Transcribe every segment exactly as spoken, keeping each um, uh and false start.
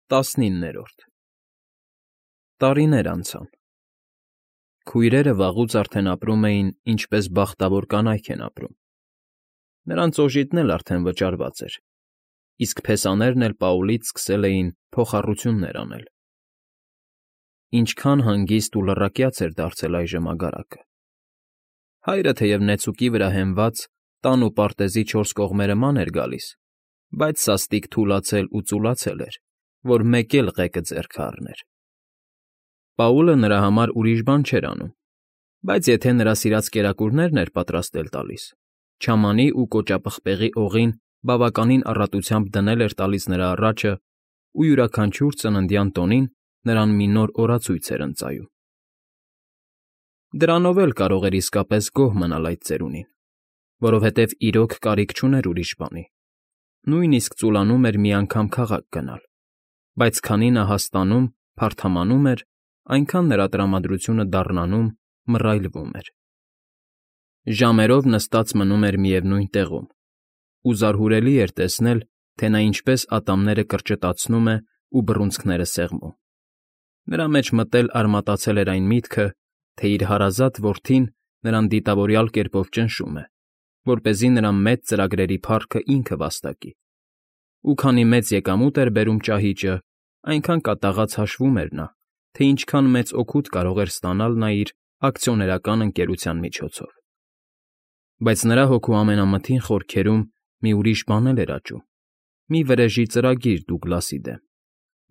ՏԱՍՆԻՆՆԵՐՈՐԴ Տարիներ անցան։ Քույրերը վաղուց արդեն ապրում էին, ինչպես բախտավոր կանայք են ապրում. նրանց օժիտն էլ արդեն վճարված էր, իսկ փեսաներն էլ Պաուլից սկսել էին փոխառություններ անել։ Ինչքան հանգիստ ու լռակյաց էր դարձել այժմ ագարակը։ Հայրը թեև նեցուկի վրա հենված, տան ու պարտեզի չորս կողմերը ման էր գալիս, բայց սաստիկ թուլացել ու ծուլացել էր, որ մեկ էլ ղեկը ձեռքը առներ։ Պաուլը նրա համար ուրիշ բան չէր անում, բայց եթե նրա սիրած կերակուրներն էր պատրաստել տալիս, չամանի ու կոճապղպեղի օղին բավականին առատությամբ դնել էր տալիս նրա առաջը ու յուրաքանչյուր ծննդյան տոնին նրան մի նոր օրացույց էր ընծայում։ Դրանով էլ կարող էր իսկապես գոհ մնալ այդ ծերունին, որովհետև իրոք կարիք չուներ ուրիշ բանի, նույնիսկ ծուլանում էր մի անգամ քաղաք գնալ, բայց քանի նա հաստանում, փարթամանում էր, այնքան նրա տրամադրությունը դառնանում, մռայլվում էր։ Ժամերով նստած մնում էր միևնույն տեղում, ու զարհուրելի էր տեսնել, թե նա ինչպես ատամները կրճտացնում է ու բռունցքները սեղմում։ Նրա մեջ մտել արմատացել էր այն միտքը, թե իր հարազատ որդին նրան դիտավորյալ կերպով ճնշում է, որպեսզի նրա մեծ ծրագրերի փառքը ինքը վաստակի, ու քանի մեծ եկամուտ էր բերում ճահիճը, այնքան կատաղած հաշվում էր նա, թե ինչքան մեծ օգուտ կարող էր ստանալ նա իր ակցիոներական ընկերության միջոցով։ Բայց նրա հոգու ամենամթին խորքերում մի ուրիշ բան էր աճում, մի վրեժի ծրագիր Դուգլասի դեմ,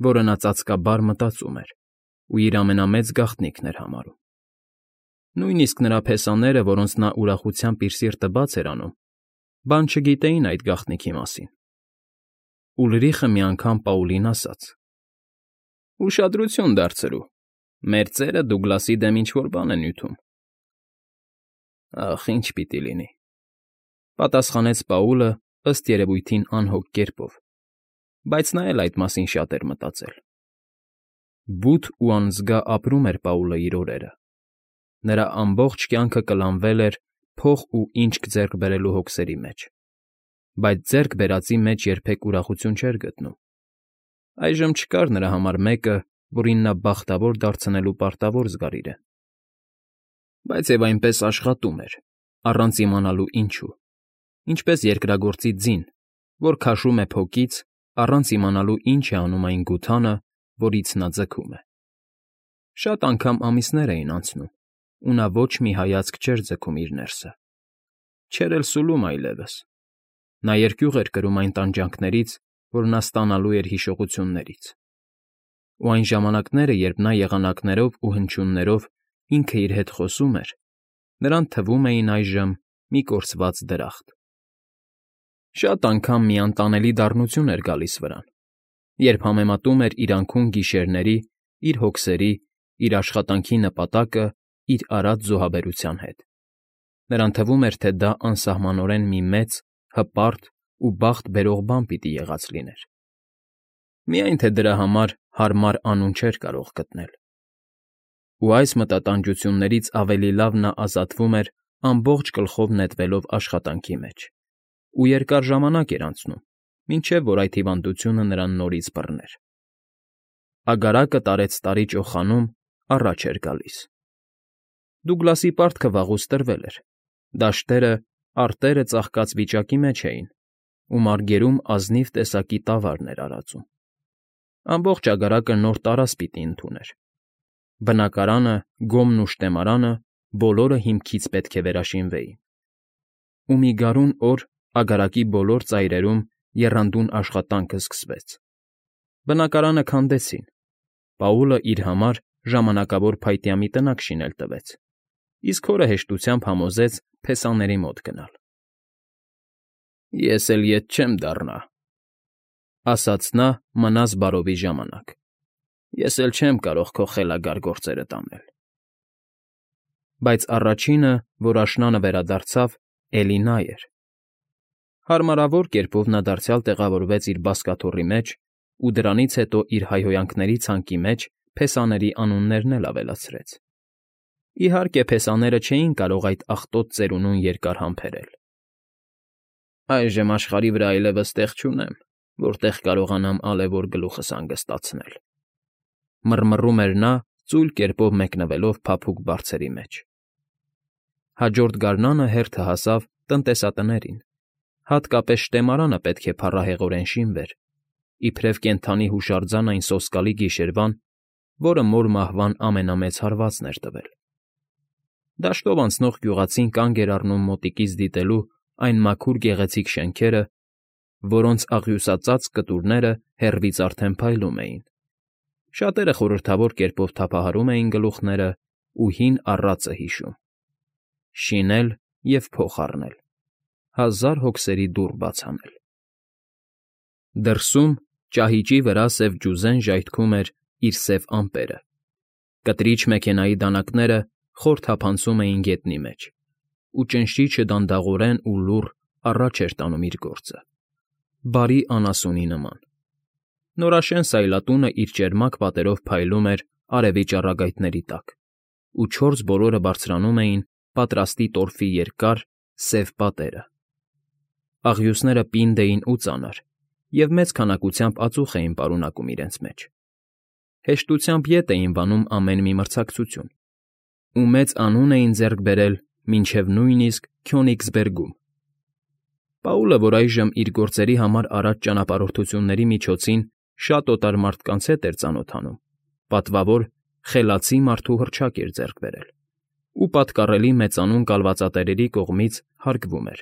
որը նա ծածկաբար մտածում էր ու իր ամենամեծ գաղտնիքն էր համարում։ Նույնիսկ նրա փեսաները, որոնց նա ուրախությամբ իր սիրտը բաց էր անում, բան չգիտեին այդ գաղտնիքի մասին։ Ուլրիխը մի անգամ Պաուլին ասաց. «Ուշադրություն դարձրու, մեր ծերը Դուգլասի դեմ ինչ֊որ բան է նյութում»։ «Ախ, ինչ պիտի լինի», ֊ պատասխանեց Պաուլը ըստ երևույթին անհոգ կերպով, բայց նա էլ այդ մասին շատ էր մտածել։ Բութ ու անզգա ապրում էր Պաուլը իր օրերը։ Նրա ամբողջ կյանքը կլանվել էր փող ու ինչք ձեռք բերելու հոգսերի մեջ, բայց ձեռք բերածի մեջ երբեք ուրախություն չէր գտնում։ Այժմ չկար նրա համար մեկը, որին նա բախտավոր դարձնելու պարտավոր զգար իրեն։ Բայց և այնպես աշխատում էր, առանց իմանալու ինչու, ինչպես երկրագործի ձին, որ քաշում է փոկից, առանց իմանալու ինչ է անում այն գութանը, որից նա ձգում է։ Շատ անգամ ամիսներ էին անցնում, ու նա ոչ մի հայացք չէր ձգում իր ներսը։ Չէր էլ սուլում այլևս։ Նա երկյուղ էր կրում այն տանջանքներից, որ նա ստանալու էր հիշողություններից։ Ու այն ժամանակները, երբ նա եղանակներով ու հնչյուններով ինքը իր հետ խոսում էր, նրան թվում էին այժմ մի կորսված դրախտ։ Շատ անգամ մի անտանելի դառնություն էր գալիս վրան, երբ համեմատում էր իր անքուն գիշերների, իր հոգսերի, իր աշխատանքի նպատակը իր արած զոհաբերության հետ։ Նրան թվում էր, թե դա անսահմանորեն մի մեծ, հպարտ ու բախտ բերող բան պիտի եղած լիներ։ Միայն թե դրա համար հարմար անուն չէր կարող գտնել։ Ու այս մտատանջություններից ավելի լավ նա ազատվում էր ամբողջ գլխով նետվելով աշխատանքի մեջ, ու երկար ժամանակ էր անցնում, մինչև որ այդ հիվանդությունը նրան նորից բռներ։ Ագարակը տարեցտարի ճոխանում առաջ էր գալիս։ Դուգլասի պարտքը վաղուց տրվել էր, դաշտերը, արտերը ծաղկած վիճակի մեջ էին, ու մարգերում ազնիվ տեսակի տավարն էր արածում։ Ամբողջ ագարակը նոր տարազ պիտի ընդուներ։ Բնակարանը, գոմն ու շտեմարանը բոլորը հիմքից պետք է վերաշինվեին։ Ու մի գարուն օր ագարակի բոլոր ծայրերում եռանդուն աշխատանքը սկսվեց։ Բնակարանը քանդեցին։ Պաուլը իր համար ժամանակավոր փայտյամի տնակ շինել տվեց, իսկ հորը հեշտությամբ համոզեց փեսաների մոտ գնալ։ «Ես էլ ետ չեմ դառնա», ֊ ասաց նա մնաս բարովի ժամանակ։ «Ես էլ չեմ կարող քո խելագար գործերը տանել»։ Բայց առաջինը, որ աշնանը վերադարձավ, էլի նա էր։ Հարմարավոր կերպով նա դարձյալ տեղավորվեց իր բազկաթոռի մեջ ու դրանից հետո իր հայհոյանքների ցանկի մեջ փեսաների անուններն էլ ավելացրեց։ Իհարկե, փեսաները չէին կարող այդ աղտոտ ծերունուն երկար համբերել։ «Այժմ աշխարհի վրա այլևս տեղ չունեմ», որտեղ կարողանամ ալևոր գլուխս հանգստացնել,֊ մռմռում էր նա, ծույլ կերպով մեկնվելով փափուկ բարձերի մեջ։ Հաջորդ գարնանը հերթը հասավ տնտեսատներին, հատկապես շտեմարանը պետք է փառահեղորեն շինվեր, իբրև կենդանի հուշարձան այն սոսկալի գիշերվան, որը մոր մահվան ամենամեծ հարվածն էր տվել։ Դաշտով անցնող գյուղացին կանգ էր առնում մոտիկից դիտելու այն մաքուր գեղեցիկ շենքերը, որոնց աղյուսածածկ կտուրները հեռվից արդեն փայլում էին։ Շատերը խորհրդավոր կերպով թափահարում էին գլուխները ու հին առածը հիշում. շինել և փոխ առնել, հազար հոգսերի դուռ բաց անել։ Դրսում ճահիճի վրա սև ջուզեն ժայթքում էր իր սև ամպերը, կտրիչ մեքենայի դանակները խոր թափանցում էին գետնի մեջ, ու ճնշիչը դանդաղորեն ու լուռ առաջ էր տանում իր գործը, բարի անասունի նման։ Նորաշեն սայլատունը իր ճերմակ պատերով փայլում էր արևի ճառագայթների տակ, ու չորս բոլորը բարձրանում էին պատրաստի տորֆի երկար, սև պատերը։ Աղյուսները պինդ էին ու ծանր, և մեծ քանակությամբ ածուխ էին պարունակում իրենց մեջ։ Հեշտությամբ ետ էին վանում ամեն մի մրցակցություն, ու մեծ անուն էին ձեռք բերել մինչև նույնիսկ Քյոնիգսբերգում։ Պաուլը, որ այժմ իր գործերի համար արած ճանապարհորդությունների միջոցին շատ օտար մարդկանց հետ էր ծանոթանում, պատվավոր, խելացի մարդու հռչակ էր ձեռք բերել, ու պատկառելի մեծանուն կալվածատերերի կողմից հարգվում էր,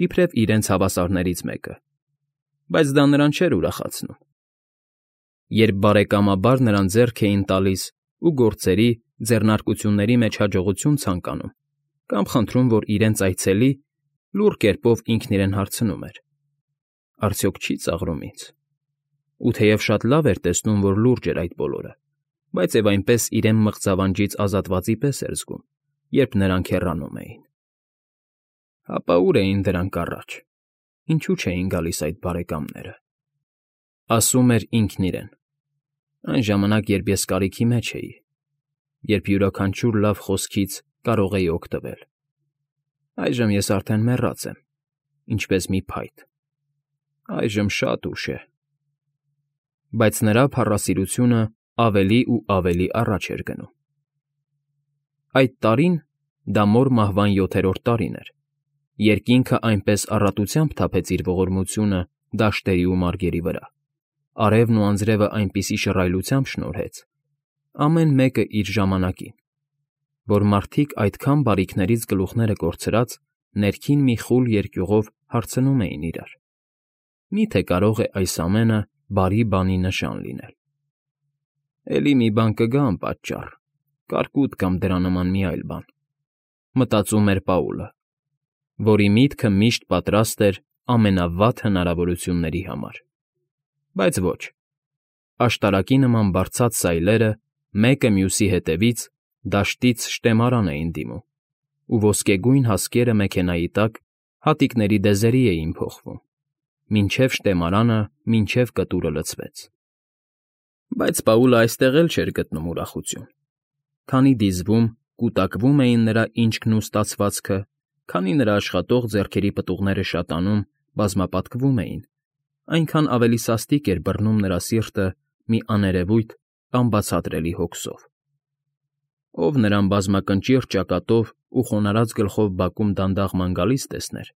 իբրև իրենց հավասարներից մեկը, բայց դա նրան չէր ուրախացնում։ Երբ բարեկամաբար նրան ձեռք էին տալիս ու գործերի, ձեռնարկությունների մեջ հաջողություն ցանկանում, կամ խնդրում, որ իրենց այցելի, լուռ կերպով ինքն իրեն հարցնում էր. արդյոք չի՞ ծաղրում ինձ։ Ու թեև շատ լավ էր տեսնում, որ լուրջ էր այդ բոլորը, բայց և այնպես իրեն մղձավանջից ազատվածի պես էր զգում, երբ նրանք հեռանում էին։ Հապա ուր էին դրանք առաջ, ինչու չէին գալիս այդ բարեկամները։ Ասում էր ինքն իրեն. այն ժամանակ, երբ ես կարիքի մեջ էի, երբ յուրաքանչյուր լավ խոսքից կարող էի օգտվել։ Այժմ ես արդեն մեռած եմ, ինչպես մի փայտ, այժմ շատ ուշ է։ Բայց նրա փառասիրությունը ավելի ու ավելի առաջ էր գնում։ Այդ տարին, դա մոր մահվան յոթերորդ տարին էր, երկինքը այնպես առատությամբ թափեց իր ողորմությունը դաշտերի ու մարգերի վրա, արևն ու անձրևը այնպիսի շռայլությամբ շնորհեց, ամեն մեկը իր ժամանակին, որ մարդիկ այդքան բարիքներից գլուխները կորցրած ներքին մի խուլ երկյուղով հարցնում էին իրար. «Մի՞թե կարող է այս ամենը բարի բանի նշան լինել։ Էլի մի բան կգա անպատճառ, կարկուտ կամ դրա նման մի այլ բան», մտածում էր Պաուլը, որի միտքը միշտ պատրաստ էր ամենավատ հնարավորությունների համար։ Բայց ոչ, աշտարակի նման բարձած սայլերը մեկը մյուսի հետևից դաշտից շտեմարան էին դիմում, ու ոսկեգույն հասկերը մեքենայի տակ հատիկների դեզերի էին փոխվում, մինչև շտեմարանը, մինչև կտուրը լցվեց։ Բայց Պաուլը այստեղ էլ չէր գտնում ուրախություն, քանի դիզվում, կուտակվում էին նրա ինչքն ու ստացվածքը, քանի նրա աշխատող ձեռքերի պտուղները շատանում, բազմապատկվում էին, այնքան ավելի սաստիկ էր բռնում նրա սիրտը մի աներևույթ, անբացատրելի հոգսով։ Ով նրան բազմակնճիռ ճակատով ու խոնարհած գլխով բակում դանդաղ ման գալիս տեսներ,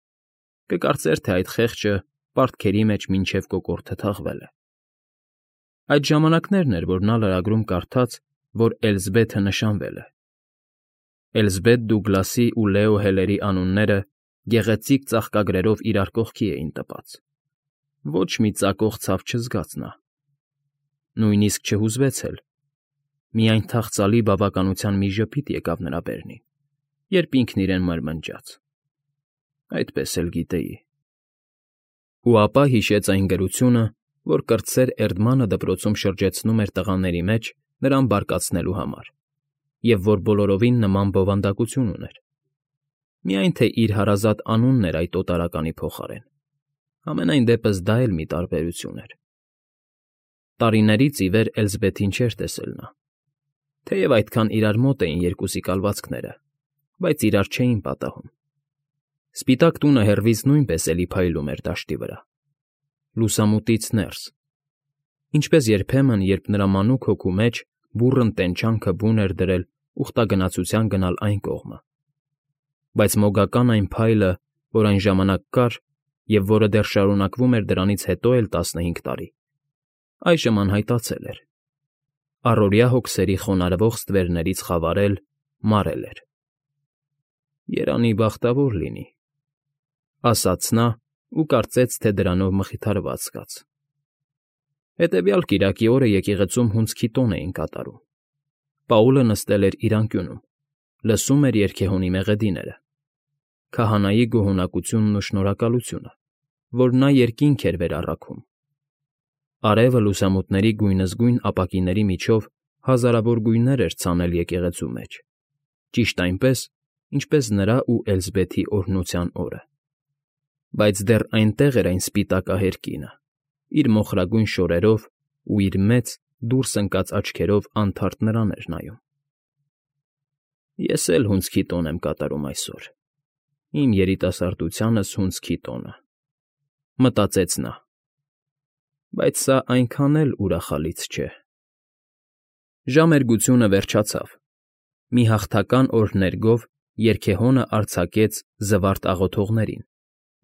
կկարծեր, թե այդ խեղճը պարտքերի մեջ մինչև կոկորդը թաղվել է։ Այդ ժամանակներն էր, որ նա լրագրում կարդաց, որ Էլզբեթը նշանվել է։ Էլզբեթ Դուգլասի ու Լեո Հելերի անունները գեղեցիկ ծաղկագրերով իրար կողքի էին տպած։ Ոչ մի ծակող ցավ չզգաց նա։ Նույնիսկ չհուզվեց էլ։ Միայն թախծալի բավականության մի ժպիտ եկավ նրա բերնին, երբ ինքն իրեն մրմնջաց. այդպես էլ գիտեի։ Ու ապա հիշեց այն գրությունը, որ կրտսեր Էրդմանը դպրոցում շրջեցնում էր տղաների մեջ նրան բարկացնելու համար, և որ բոլորովին նման բովանդակություն ուներ։ Միայն թե իր հարազատ անունն էր այդ օտարականի փոխարեն, համենայն դեպս դա էլ մի տարբերություն էր։ Տարիներից ի վեր Էլզբեթին չէր տեսել նա, թեև այդքան իրար մոտ էին երկուսի կալվածքները, բայց իրար չէին պատահում։ Սպիտակ տունը հեռվից նույնպես էլի փայլում էր դաշտի վրա։ լուսամուտից ներս, ինչպես երբեմն, երբ նրա մանուկ հոգու մեջ բուռն տենչանքը բուն էր դրել ուխտագնացության գնալ այն կողմը, բայց մոգական այն փայլը, որ այն ժամանակ կար և որը դեռ շարունակվում էր դրանից հետո էլ տասնհինգ տարի, այժմ անհայտացել էր, առօրյա հոգսերի խոնարհվող ստվերներից խավարել, մարել էր։ «Երանի բախտավոր լինի», ասաց նա ու կարծեց, թե դրանով մխիթարված կաց։ Հետևյալ կիրակի օրը եկեղեցում հունձքի տոն էին կատարում։ Պաուլը նստել էր իր անկյունում, լսում էր երգեհոնի մեղեդիները, քահանայի գոհունակությունն ու շնորհակալությունը, որ նա երկինք էր վերառաքում։ Արևը լուսամուտների գույնզգույն ապակիների միջով հազարավոր գույներ էր ցանել եկեղեցու մեջ, ճիշտ այնպես, ինչպես նրա ու Էլզբեթի օրհնության օրը։ Բայց դեռ այնտեղ էր այն սպիտակահեր կինը, իր մոխրագույն շորերով ու իր մեծ, դուրս ընկած աչքերով անթարթ նրան էր նայում։ «Ես էլ հունձքի տոն եմ կատարում այսօր, իմ երիտասարդությանս հունձքի տոնը», մտածեց նա։ Բայց սա այնքան էլ ուրախալից չէ։ Ժամերգությունը վերջացավ։ Մի հաղթական օրհներգով երգեհոնը արձակեց զվարթ աղոթողներին,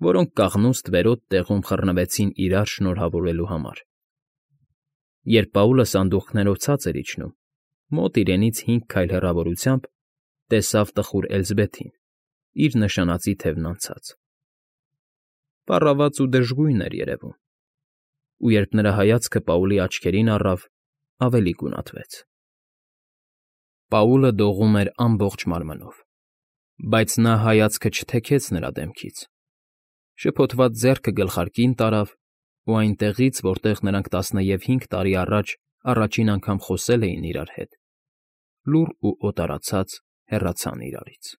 որոնք կաղնուստ վերոտ տեղում խռնվեցին իրար շնորհավորելու համար։ Երբ Պաուլը սանդուղքներով ցած էր իջնում, մոտ իրենից հինգ քայլ հեռավորությամբ տեսավ տխուր Էլզբեթին, իր նշանածի թևն անցած։ Պառաված ու դժգույն էր երևում, ու երբ նրա հայացքը Պաուլի աչքերին առավ, ավելի գունատվեց։ Պաուլը դողում էր ամբողջ մարմնով, բայց նա հայացքը չթեքեց նրա դեմքից։ Շփոթված ձեռքը գլխարկին տարավ ու այնտեղից, որտեղ նրանք տասնհինգ տարի առաջ առաջին անգամ խոսել էին իրար հետ, լուռ ու օտարացած հեռացան իրարից։